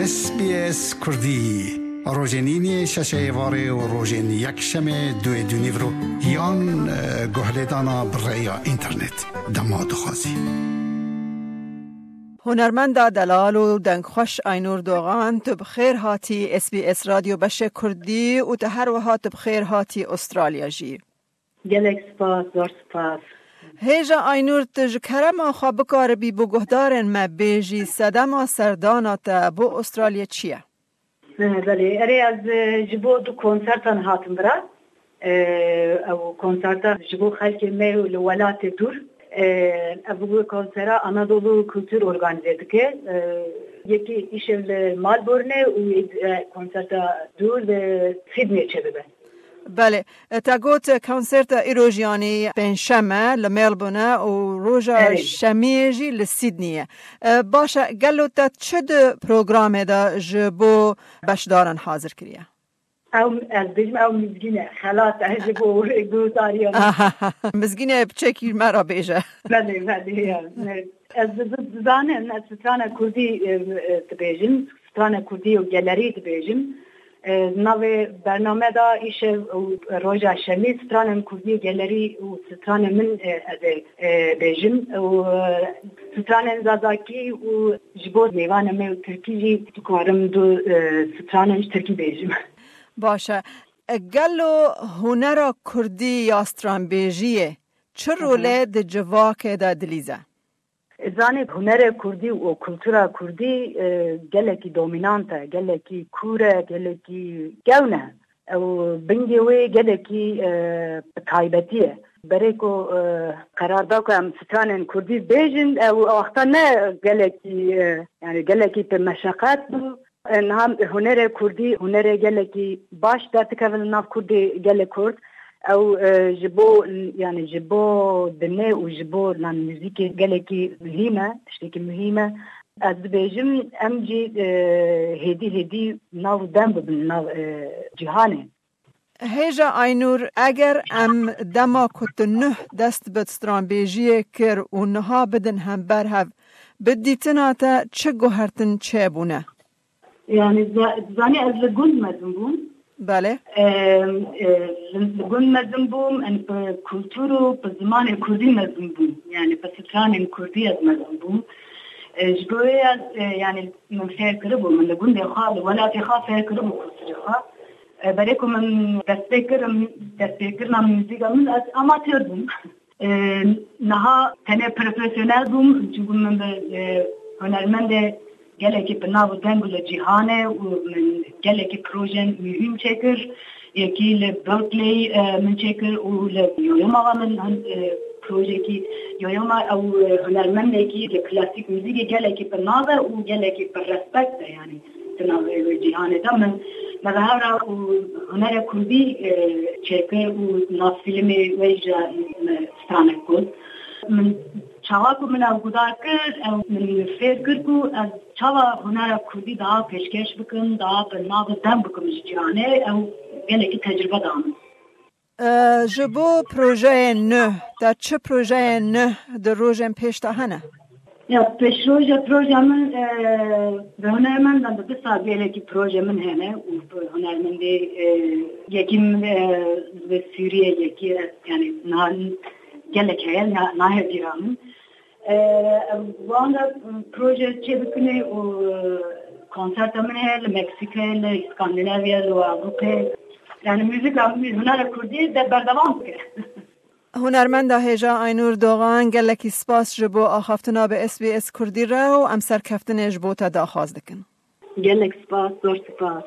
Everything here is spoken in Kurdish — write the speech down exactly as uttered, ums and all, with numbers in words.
S B S Kurdî, rojên îniyê şeşê êvarê û rojên yekşemê duê dûnîvro yan, e, guhlêdana bi rêya înternet dema dixwazî. Hunermenda delal û dengxweş Aynur Doğan, tu bi xêr hatî S B S Radyo Beşê Kurdî û tu her wiha tu bi xêr hatî Australya jî. Gelek spas, zor spas. Hêja Aynur, tu ji kerema xwe bikaribî bo guhdarên me bêjî sedema serdana te bo Australya çi ye? He, belê. Erê, ez, e, ji bo du konsertan hatim vira. E, ew konserta ji bo xelkê me û li welatê dûr. E, ev konsera Anadolu Kultur organize dike. E, yekî îşev li Melbourne û, e, konserta dûr li Sydney çêdibe. Belê. E, te got, e, konserta îro jî, yanî pêncşem e li Melbourne û roja Erê. şemiyê jî li Sydney ye. E, baş e, gelo te çi di programê de ji bo beşdaran hazir kiriye? Ew, ez bêjim, ew mizgîn e. Xelat e ji bo guhdariyan. Aha, mizgîn e, piçekî me re bêje. Belê, belê, ya. Ez di-, di-, dizanim, ez strana kurdî, e, e, dibêjim. Strana kurdî û gelerî dibêjim. E, navê bername de îşev û roja şemî stranên kurdî û gelerî û stranên min, e, ez ê, e, bêjim. Û, e, stranên zazakî û ji bo mêvanê me û tirkî jî dikarim du, e, stranên ji tirkî bêjim. Baş e. E, gelo hunera kurdî ya stranbêjiyê çi Hı hı. rolê di civakê de dilîze? Zanî, hunerê kurdî û kultura kurdî, e, gelekî dominant e, gelekî kûr e, gelekî kewn e. Ew bingê wê gelekî, e, taybetî ye. Berê ku, e, qerar da ku em stranên kurdî bêjin, ew wexta ne gelekî, e, yani gelekî bi meşeqet bû. E, niha hunerê kurdî, hunerê gelekî baş derdikeve li nav kurdê gelê kurd. Ew, e, ji bo, yani ji bo dinê û ji bo lan muzîkê gelekî muhîm e, tiştekî muhîm e. Ez dibêjim, em jî, e, hêdî hêdî nav û dem bibin nav, e, cîhanê. Hêja Aynur, eger em dema ku tu nuh dest bi stranbêjiyê kir û niha bidin hember hev, bi dîtina te çi guhertin çêbûne? Yani, za-, zanî ez li gund mezin bûm. Belê. Em, e, li, li gund mezin bûm, em bi kultur û bi zimanê kurdî mezin bûm. Yani, bi stranên kurdî ez mezin bûm. E, ji bo wê ez, e, yani, min fêr kiribû, min li gundê xwe, li welatê xwe fêr kiribû kulturê xwe. E, berê ku min destpê kirim, destpêkirina muzîka min, ez amatör bûm. E, niha tenê profesyonel bûm, çunku min bi, e, hunermendê gelekî bi nav û deng û li cîhanê û min gelekî projên muhîm çêkir. Yekî li Berkeley, e, min çêkir û li Yoyoma ve min hin, e, projekî Yoyoma ew, e, hunermendekî li klasîk muzîkê gelekî bi nav e û gelekî bi respekt e, yanî di navê wê cîhanê de min, me ve hevra û hunerê kurdî, e, çêkir û nav fîlmê wê jî me stranek got. Min çawa ku min ew guhdar kir, ew min fêr kir ku ez çawa hunera kurdî daha pêşkêş bikim, daha bi nav û dem bikim ji cîhanê, ew gelekî tecrube da min. E, ji bo projeyên nû, te çi projeyên nû di rojên pêş de hene? Ya, pêşroja proja min, e, bi hunermendan de dîsa gelekî proje min hene û bi hunermendê, e, yekî min, e, bi Sûriye, yekî, e, yani, na-, gelek heye, na-, nahê bîra min. E, wan de, m, proje çê bikine û, e, konserta min heye li Meksîkayê, li Skandinavya, li Ewropê. Yani, muzîka min, hunera kurdî de berdewam bike. Hunermenda hêja Aynur Doğan, gelekî spas ji bo axaftina bi S B S Kurdî re û em serkeftinê ji bo te daxwaz dikin. Gelek spas, zor spas.